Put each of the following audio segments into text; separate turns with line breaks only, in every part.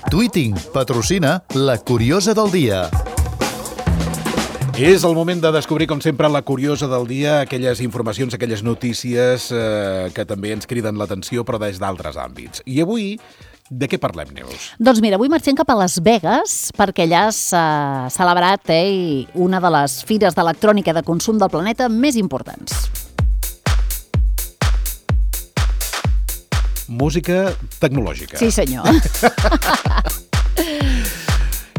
Tweeting patrocina La Curiosa del Dia.
És el moment de descobrir, com sempre, la curiosa del dia, aquelles informacions, aquelles notícies que també ens criden l'atenció, però des d'altres àmbits. I avui, de què parlem, Neus?
Doncs mira, avui marxem cap a Las Vegas, perquè allà s'ha celebrat una de les fires d'electrònica de consum del planeta més importants.
Música tecnològica.
Sí, senyor.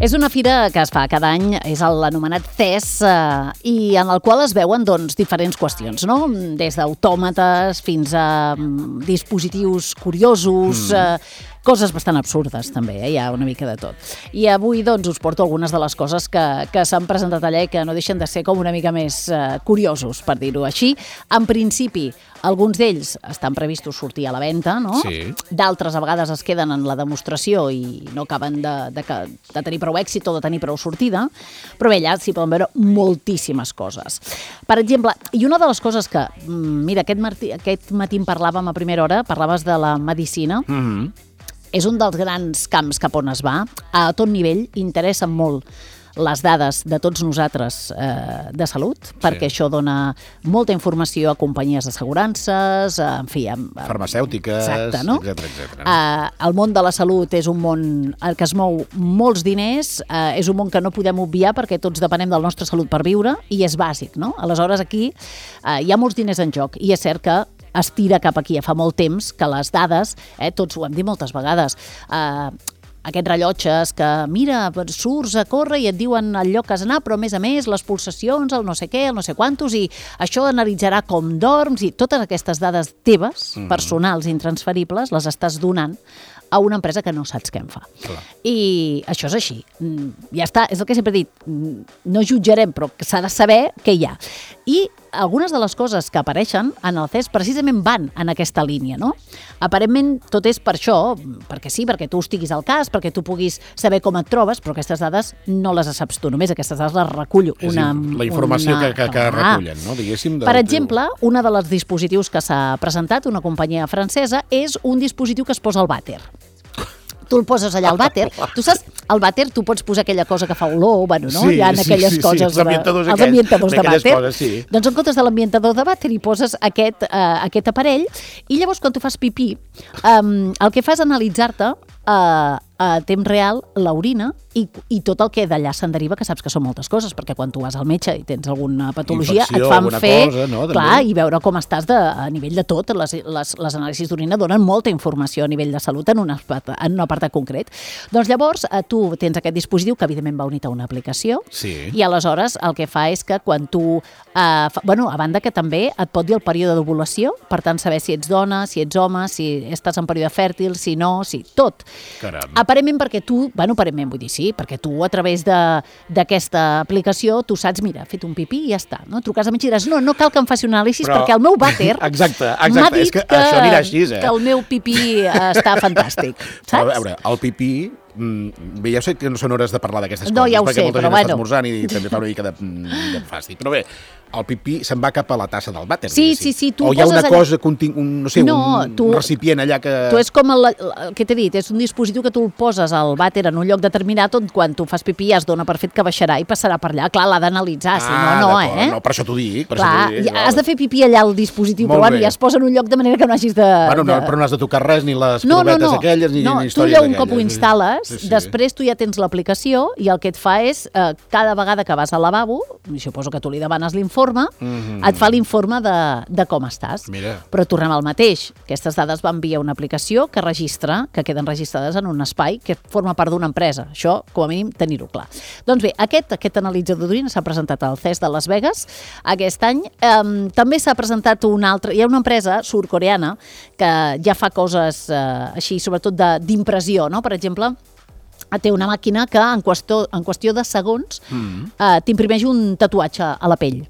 És una fira que es fa cada any, és l'anomenat CES, i en el qual es veuen diferents qüestions, no? Des d'autòmates fins a dispositius curiosos, coses bastant absurdes també, hi ha una mica de tot. I avui us porto algunes de les coses que s'han presentat allà i que no deixen de ser com una mica més curiosos, per dir-ho així. En principi, alguns d'ells estan previstos sortir a la venda, no?
Sí.
D'altres a vegades es queden en la demostració i no acaben de tenir prou èxit o de tenir prou sortida, però bé, allà s'hi poden veure moltíssimes coses. Per exemple, i una de les coses que, mira, aquest matí en parlàvem a primera hora, parlaves de la medicina, és un dels grans camps cap on es va. A tot nivell interessen molt les dades de tots nosaltres de salut, perquè això dona molta informació a companyies d'assegurances, en fi...
farmacèutiques,
exacte, no?
etcètera.
El món de la salut és un món que es mou molts diners, és un món que no podem obviar perquè tots depenem de la nostra salut per viure, i és bàsic, no? Aleshores, aquí hi ha molts diners en joc, i és cert que es tira cap aquí. Fa molt temps que les dades, tots ho hem dit moltes vegades, aquests rellotges que, mira, surts a córrer i et diuen el lloc que has d'anar, però a més les pulsacions, el no sé què, el no sé quantos, i això analitzarà com dorms, i totes aquestes dades teves, personals, intransferibles, les estàs donant a una empresa que no saps què en fa.
Clar.
I això és així. Ja està, és el que sempre he dit, no jutjarem, però s'ha de saber què hi ha. I algunes de les coses que apareixen en el CES precisament van en aquesta línia, no? Aparentment tot és per això, perquè sí, perquè tu estiguis al cas, perquè tu puguis saber com et trobes, però aquestes dades no les saps tu, només aquestes dades les recull
la informació que recullen, no? Diguéssim.
Per exemple, un dels dispositius que s'ha presentat, una companyia francesa, és un dispositiu que es posa al vàter. Tu el poses allà al vàter. Tu saps, al vàter tu pots posar aquella cosa que fa olor, bueno, no?
Sí,
hi ha aquelles coses...
els ambientadors
de vàter.
Coses, sí.
Doncs en comptes de l'ambientador de vàter hi poses aquest aparell, i llavors quan tu fas pipí, el que fa és analitzar-te a temps real l'orina i tot el que d'allà se'n deriva, que saps que són moltes coses, perquè quan tu vas al metge i tens alguna patologia,
infecció,
et fan fer,
cosa, no?
clar, i veure com estàs a nivell de tot. Les anàlisis d'orina donen molta informació a nivell de salut en un apartat concret. Doncs llavors tu tens aquest dispositiu que evidentment va unit a una aplicació, i aleshores el que fa és que quan tu, a banda que també et pot dir el període d'ovulació, per tant saber si ets dona, si ets home, si estàs en període fèrtil, si no, si tot.
Caram.
Aparentment perquè tu, aparentment vull dir sí, perquè tu a través d'aquesta aplicació tu saps, mira, he fet un pipí i ja està, no? Truques a metge i diràs, no cal que em faci un anàlisi perquè el meu vàter m'ha dit
que això anirà així,
que el meu pipí està fantàstic, saps?
Però a veure, el pipí... Bé, ja sé que no són hores de parlar d'aquestes coses,
ja ho
perquè
sé,
molta
però
gent està esmorzant i també fa una mica de fàstic. Però bé, el pipí se'n va cap a la tassa del vàter.
Sí, tu
o hi ha una cosa, un recipient allà que...
Tu és com el que t'he dit, és un dispositiu que tu el poses al vàter en un lloc determinat on quan tu fas pipí ja es dona per fet que baixarà i passarà per allà. Clar, l'ha d'analitzar, si no,
no, per això t'ho dic.
Has de fer pipí allà al dispositiu, però ja es posa en un lloc de manera que no hagis de...
Però no has de tocar res, ni les provetes aquelles, ni històries
aquelles. Tu un cop ho instal·les, després tu ja tens l'aplicació i el que et fa és, cada vegada que vas al lavabo, i suposo que tu li demanes l'informe, et fa l'informe de com estàs.
Mira.
Però tornem al mateix. Aquestes dades van via una aplicació que registra, que queden registrades en un espai que forma part d'una empresa. Això, com a mínim, tenir-ho clar. Doncs bé, aquest analitzador d'orina s'ha presentat al CES de Las Vegas aquest any. També s'ha presentat una altra... Hi ha una empresa sud-coreana que ja fa coses així, sobretot d'impressió, no? Per exemple, té una màquina que en qüestió de segons t'imprimeix un tatuatge a la pell.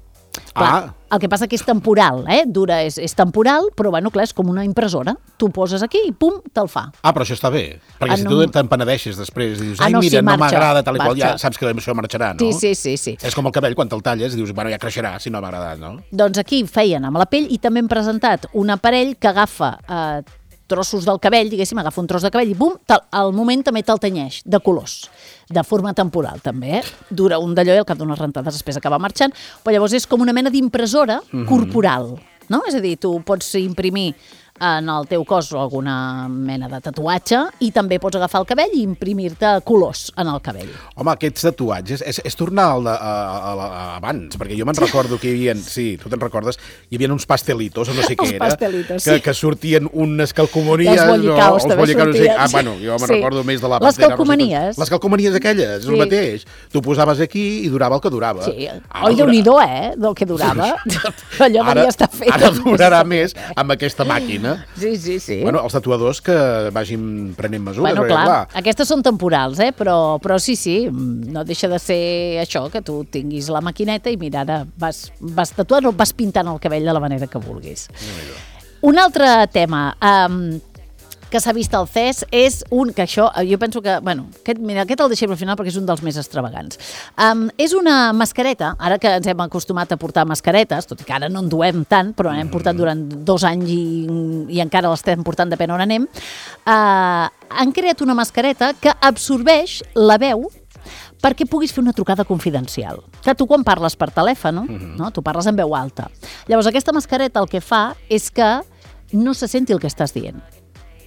Clar, el que passa que és temporal, dura, és temporal, però bueno, clar, és com una impressora. Tu poses aquí i pum, te'l fa.
Però això està bé, perquè si tu te'n penedeixes després i dius, mira, no m'agrada tal i qual, ja saps que això marxarà, no?
Sí.
És com el cabell, quan te'l talles i dius, bueno, ja creixerà si no m'ha agradat, no?
Doncs aquí feien amb la pell i també hem presentat un aparell que agafa trossos del cabell, diguéssim, agafa un tros de cabell i bum, al moment també te'l tenyeix de colors, de forma temporal també, dura un d'allò i al cap d'unes rentades després acaba marxant, però llavors és com una mena d'impressora corporal, no? És a dir, tu pots imprimir en el teu cos alguna mena de tatuatge i també pots agafar el cabell i imprimir-te colors en el cabell.
Home, aquests tatuatges és tornar abans, perquè jo me'n recordo que hi havia, sí, tu te'n recordes, hi havia uns pastelitos, o no sé què era, que sortien unes calcomanies.
Els bollicaus també sortien.
Bueno, jo me'n recordo més de la
Les calcomanies.
Les calcomanies aquelles, és el mateix. Tu posaves aquí i durava el que durava.
Sí, oi, Déu-n'hi-do, del que durava. Allò devia estar fet.
Ara durarà més amb aquesta màquina.
Sí.
Bueno, els tatuadors que vagin prenent mesures.
Bueno, clar, aquestes són temporals, però sí, no deixa de ser això, que tu tinguis la maquineta i mira, ara vas tatuant o vas pintant el cabell de la manera que vulguis. Un altre tema que s'ha vist al CES és que això, jo penso que, aquest el deixem al final perquè és un dels més extravagants. És una mascareta, ara que ens hem acostumat a portar mascaretes, tot i que ara no en duem tant, però n'hem portat durant 2 anys i encara l'estem portant depèn on anem, han creat una mascareta que absorbeix la veu perquè puguis fer una trucada confidencial. Que tu quan parles per telèfon, no? Tu parles en veu alta. Llavors aquesta mascareta el que fa és que no se senti el que estàs dient.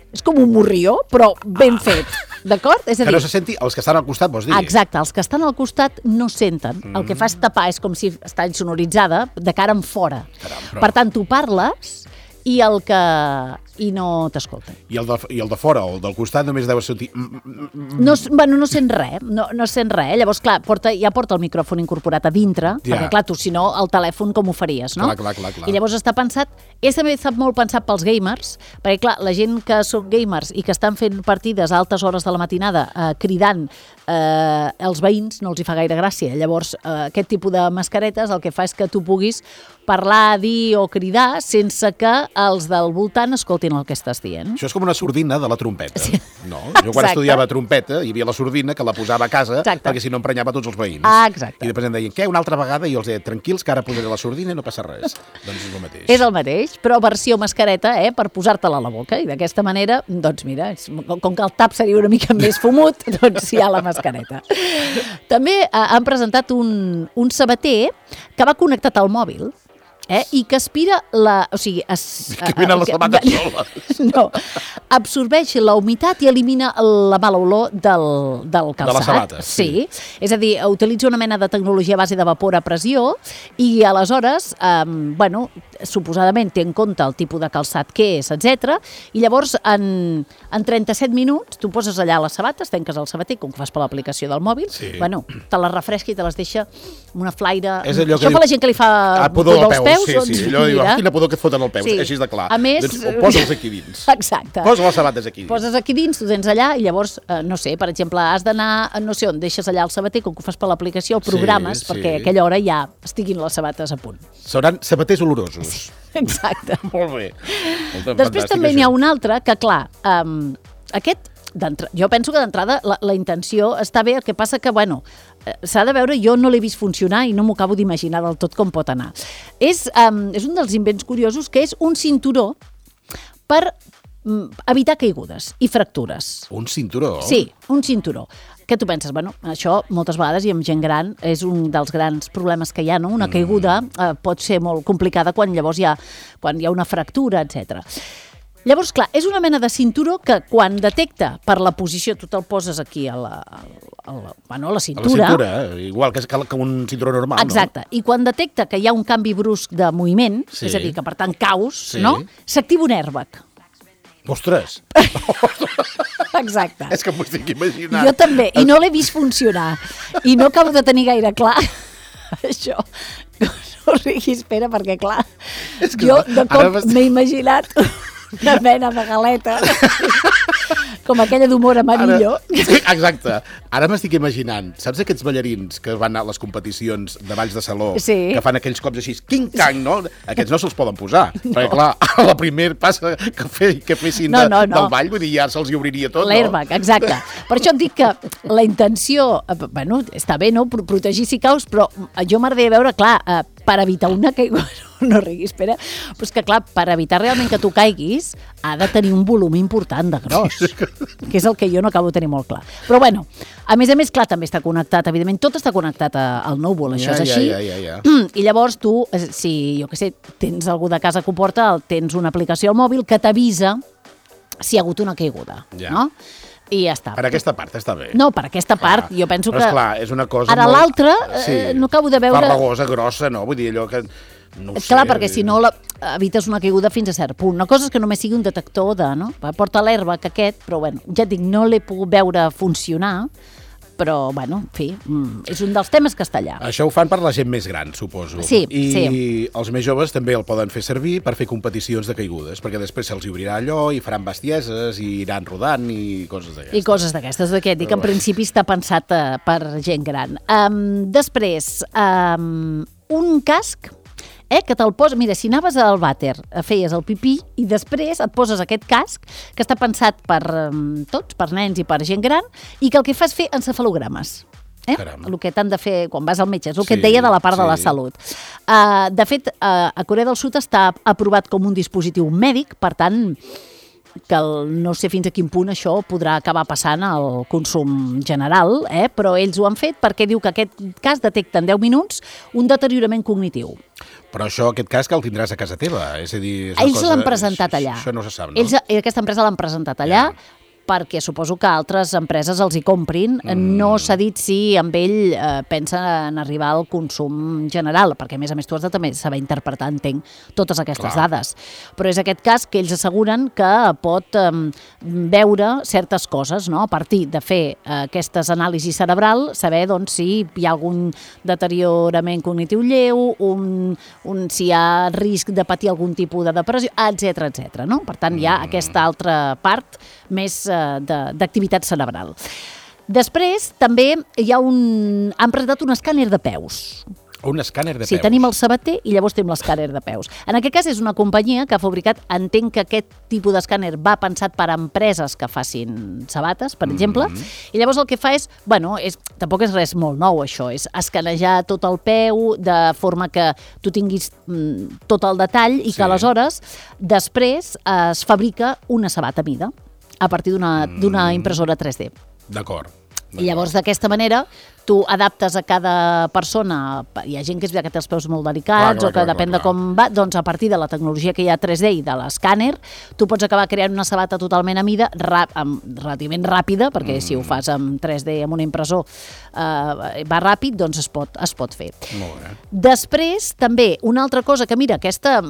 És com un morrió, però ben fet, d'acord? És a dir,
que no se senti els que estan al costat, vols dir?
Exacte, els que estan al costat no senten. El que fa és tapar, és com si està insonoritzada de cara en fora. Per tant, tu parles i no t'escolten.
I el de fora, o el del costat, només deu sentir...
No sent res, no sent res. Llavors, clar, ja porta el micròfon incorporat a dintre, perquè, clar, tu, si no, el telèfon com ho faries, no?
Clar.
I llavors està pensat... també està molt pensat pels gamers, perquè, clar, la gent que són gamers i que estan fent partides a altes hores de la matinada cridant els veïns, no els hi fa gaire gràcia. Llavors, aquest tipus de mascaretes el que fa és que tu puguis parlar, dir o cridar sense que els del voltant escoltin el que estàs dient.
Això és com una sordina de la trompeta. Sí. No? Jo quan estudiava trompeta hi havia la sordina que la posava a casa perquè si no emprenyava tots els veïns.
Exacte.
I després em deien, què, una altra vegada? I jo els deia, tranquils, que ara posaré la sordina i no passa res. Doncs és el mateix.
És el mateix, però versió mascareta, per posar-te-la a la boca. I d'aquesta manera, doncs mira, com que el tap seria una mica més fumut, doncs hi ha la mascareta. També han presentat un sabater que va connectat al mòbil, i que aspira o sigui...
Que venen les sabates soles.
No, absorbeix la humitat i elimina la mala olor del calçat.
De les sabates.
Sí. És a dir, utilitza una mena de tecnologia a base de vapor a pressió i aleshores, suposadament té en compte el tipus de calçat que és, etc. I llavors, en 37 minuts, tu poses allà les sabates, tanques el sabater, com que fas per l'aplicació del mòbil, te les refresca i te les deixa amb una flaire... Això per la gent que li fa pudor als peus.
Sí, allò diu, quina pudor que et foten al peu, així de clar.
A més...
Doncs posa'ls aquí dins.
Exacte.
Posa les sabates aquí dins.
Poses aquí dins, tu tens allà i llavors, no sé, per exemple, has d'anar, no sé on, deixes allà el sabater, com que ho fas per l'aplicació, programes perquè a aquella hora ja estiguin les sabates a punt.
Seran sabaters olorosos.
Exacte.
Molt bé.
Després també n'hi ha un altre que, clar, aquest... Jo penso que d'entrada la intenció està bé, el que passa que, s'ha de veure, jo no l'he vist funcionar i no m'ho acabo d'imaginar del tot com pot anar. És un dels invents curiosos que és un cinturó per evitar caigudes i fractures.
Un cinturó?
Sí, un cinturó. Què tu penses? Això moltes vegades i amb gent gran és un dels grans problemes que hi ha, no? Una caiguda pot ser molt complicada quan hi ha una fractura, etc. Llavors, clar, és una mena de cinturó que quan detecta per la posició, tu te'l poses aquí a la cintura.
A la cintura, igual que un cinturó normal,
exacte. I quan detecta que hi ha un canvi brusc de moviment, és a dir, que per tant caus, no? S'activa un airbag.
Ostres!
Exacte.
És que m'ho estic imaginant.
Jo també, i no l'he vist funcionar. I no acabo de tenir gaire clar això. No riguis, espera, perquè clar, jo de cop m'he imaginat una mena de galeta com aquella d'humor amarillo.
Exacte. Ara m'estic imaginant, saps aquests ballarins que van a les competicions de balls de saló, que fan aquells cops així, quing-cang, no? Aquests no se'ls poden posar, perquè clar, a la primer passa que fessin del ball, vull dir, ja se'ls hi obriria tot, no?
L'airbag, exacte. Per això et dic que la intenció, està bé, no?, protegir si caus, però jo m'agradaria veure, clar, per evitar una caiguda, no riguis, espera, però és que clar, per evitar realment que tu caiguis, ha de tenir un volum important de gros, que és el que jo no acabo de tenir molt clar. Però bueno, a més, clar, també està connectat, evidentment, tot està connectat al núvol, això és així. I llavors tu, si, jo què sé, tens algú de casa que ho porta, tens una aplicació al mòbil que t'avisa si hi ha hagut una caiguda, no? I ja està.
Per aquesta part està bé.
No, per aquesta part, jo penso que...
Però esclar, és una cosa
ara l'altra, no acabo de veure...
Farragosa, grossa, no? Vull dir, allò que... No ho sé.
Clar, perquè si no evites una caiguda fins a cert punt. Una cosa és que només sigui un detector de... No? Porta l'herba que aquest, però bueno, ja et dic, no l'he pogut veure funcionar, però, bueno, en fi, és un dels temes que està allà.
Això ho fan per la gent més gran, suposo.
Sí,
I els més joves també el poden fer servir per fer competicions de caigudes, perquè després se'ls obrirà allò i faran bestieses i iran rodant i coses d'aquestes.
I coses d'aquestes, dic, en principi està pensat per gent gran. Després, un casc que te'l posa... Mira, si anaves al vàter, feies el pipí i després et poses aquest casc que està pensat per tots, per nens i per gent gran, i que el que fa és fer encefalogrames. El que t'han de fer quan vas al metge, és el que et deia de la part de la salut. De fet, a Corea del Sud està aprovat com un dispositiu mèdic, per tant, que no sé fins a quin punt això podrà acabar passant al consum general, però ells ho han fet perquè diu que aquest cas detecta en 10 minuts un deteriorament cognitiu.
Però aquest cas que el tindràs a casa teva, és a dir...
Ells l'han presentat allà.
Això no se sap, no?
Aquesta empresa l'han presentat allà, perquè suposo que altres empreses els hi comprin. No s'ha dit si amb ell pensa en arribar al consum general, perquè a més tu has de també saber interpretar, entenc, totes aquestes dades. Però és aquest cas que ells asseguren que pot veure certes coses, no? A partir de fer aquestes anàlisis cerebral, saber doncs, si hi ha algun deteriorament cognitiu lleu, si hi ha risc de patir algun tipus de depressió, etc. No? Per tant, hi ha aquesta altra part més d'activitat cerebral. Després, també han presentat un escàner de peus.
Un escàner de peus?
Sí, tenim el sabater i llavors tenim l'escàner de peus. En aquest cas és una companyia que ha fabricat, entenc que aquest tipus d'escàner va pensat per a empreses que facin sabates, per exemple, i llavors el que fa és, tampoc és res molt nou això, és escanejar tot el peu de forma que tu tinguis tot el detall i que aleshores després es fabrica una sabata a mida a partir d'una impressora 3D.
D'acord.
I llavors, d'aquesta manera, tu adaptes a cada persona. Hi ha gent que és veritat que té els peus molt delicats o que depèn de com va, doncs a partir de la tecnologia que hi ha 3D i de l'escàner, tu pots acabar creant una sabata totalment a mida, relativament ràpida, perquè si ho fas amb 3D amb un impressor va ràpid, doncs es pot fer.
Molt bé.
Després, també, una altra cosa que, mira, aquesta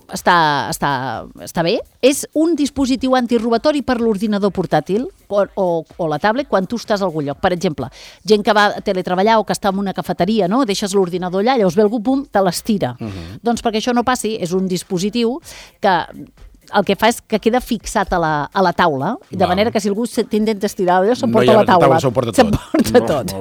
està bé, és un dispositiu antirobatori per l'ordinador portàtil o la tablet quan tu estàs a algun lloc. Per exemple, gent que va a teletreballar o que està en una cafeteria, no? Deixes l'ordinador allà, llavors ve algú, pum, te l'estira. Doncs perquè això no passi, és un dispositiu que el que fa és que queda fixat a la taula, de manera que si algú t'intenta estirar allò, s'emporta la taula. S'emporta tot.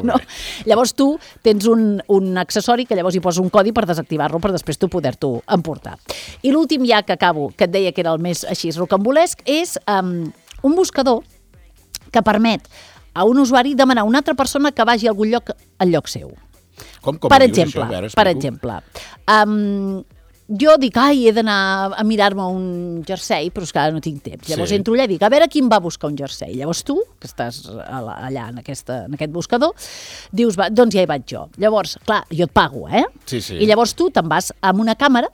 Llavors tu tens un accessori que llavors hi poses un codi per desactivar-lo, per després tu poder-t'ho emportar. I l'últim ja que acabo, que et deia que era el més així rocambolesc, és un buscador que permet a un usuari demanar a una altra persona que vagi a algun lloc al lloc seu. Per exemple, jo dic, he d'anar a mirar-me un jersei, però és que ara no tinc temps. Llavors entro allà i dic, a veure quin va buscar un jersei. Llavors tu, que estàs allà en aquest buscador, dius, doncs ja hi vaig jo. Llavors, clar, jo et pago, I llavors tu te'n vas amb una càmera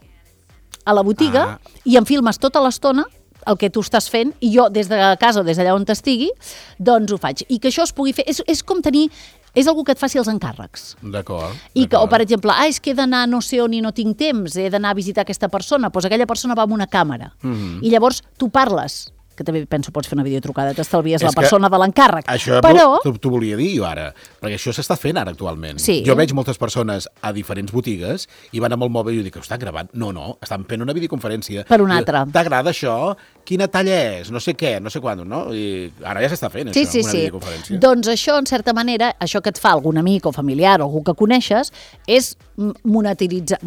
a la botiga i em filmes tota l'estona el que tu estàs fent, i jo des de casa o des d'allà on t'estigui, doncs ho faig. I que això es pugui fer, és com tenir... És algú que et faci els encàrrecs.
D'acord.
O, per exemple, és que he d'anar no sé on i no tinc temps, he d'anar a visitar aquesta persona, doncs aquella persona va amb una càmera. I llavors tu parles, que també penso pots fer una videotrucada, t'estalvies la persona de l'encàrrec.
Això t'ho volia dir jo ara, perquè això s'està fent ara actualment. Jo veig moltes persones a diferents botigues i van amb el mòbil i jo dic, ho estan gravant? No, estan fent una videoconferència.
Per una altra.
T'agrada això? Quina talla és? No sé què, no sé quan, no? I ara ja s'està fent això, una videoconferència.
Doncs això, en certa manera, això que et fa algun amic o familiar o algú que coneixes, és monetitzar.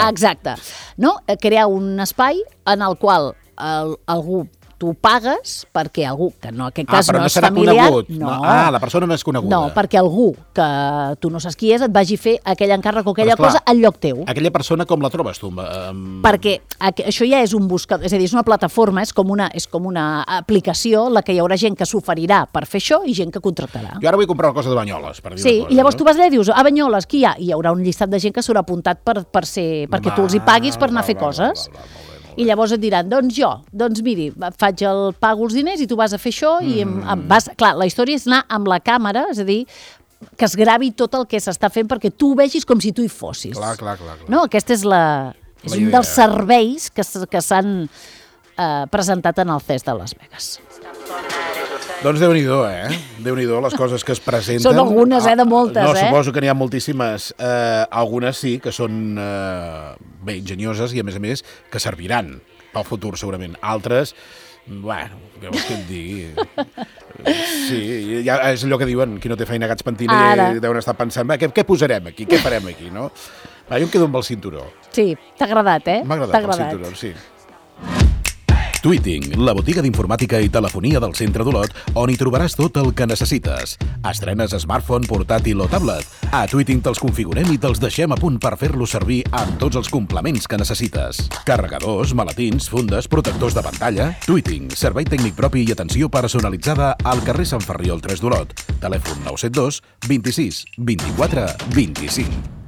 Exacte. No? Crear un espai en el qual algú tu pagues perquè algú, que no, en aquest cas
però
no
no
és
serà
familiar...
conegut. La persona no és coneguda.
No, perquè algú que tu no saps qui és et vagi fer aquell encàrrec o aquella cosa al lloc teu.
Aquella persona com la trobes tu?
Perquè això ja és un buscador, és a dir, és una plataforma, és com una aplicació la que hi haurà gent que s'oferirà per fer això i gent que contractarà.
Jo ara vull comprar una cosa de Banyoles, per dir
sí,
una cosa.
I llavors tu vas allà i dius, a Banyoles, qui hi ha? I hi haurà un llistat de gent que s'haurà apuntat perquè tu els hi paguis per anar a fer coses. I llavors et diran, doncs miri, pago els diners i tu vas a fer això i clar, la història és anar amb la càmera, és a dir, que es gravi tot el que s'està fent perquè tu ho vegis com si tu hi fossis.
Clar.
No, aquest és un dels serveis que s'han presentat en el CES de Las Vegas.
Doncs Déu-n'hi-do, Déu-n'hi-do les coses que es presenten.
Són algunes, de moltes,
No, suposo que n'hi ha moltíssimes. Algunes sí que són bé ingenioses i, a més, que serviran pel futur, segurament. Altres, bueno, què vols que et digui? Sí, ja és allò que diuen, qui no té feina gats pentina, i deuen estar pensant, què posarem aquí, què farem aquí, no? Jo em quedo amb el cinturó.
Sí, t'ha agradat,
M'ha agradat el cinturó, sí. Tweeting, la botiga d'informàtica i telefonia del centre d'Olot, on hi trobaràs tot el que necessites. Estrenes smartphone, portàtil o tablet. A Tweeting te'ls configurem i te'ls deixem a punt per fer-los servir amb tots els complements que necessites. Carregadors, maletins, fundes, protectors de pantalla... Tweeting, servei tècnic propi i atenció personalitzada al carrer Sant Ferriol 3 d'Olot. Telèfon 972 26 24 25.